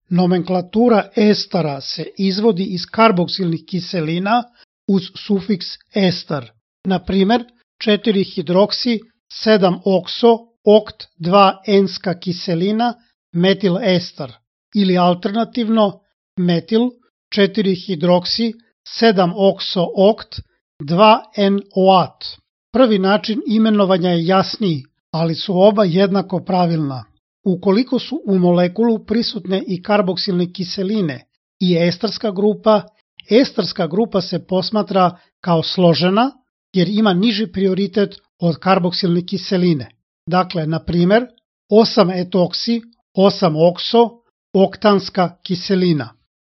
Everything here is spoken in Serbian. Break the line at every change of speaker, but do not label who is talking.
Nomenklatura estara se izvodi iz karboksilnih kiselina uz sufiks estar. Na primer, 4-hidroksi 7-okso okt 2-enska kiselina metil estar ili alternativno metil 4-hidroksi 7-okso okt 2-NOat. Prvi način imenovanja je jasniji, ali su oba jednako pravilna. Ukoliko su u molekulu prisutne i karboksilne kiseline i estarska grupa se posmatra kao složena jer ima niži prioritet od karboksilne kiseline. Dakle, na primer, 8-etoksi 8-okso oktanska kiselina.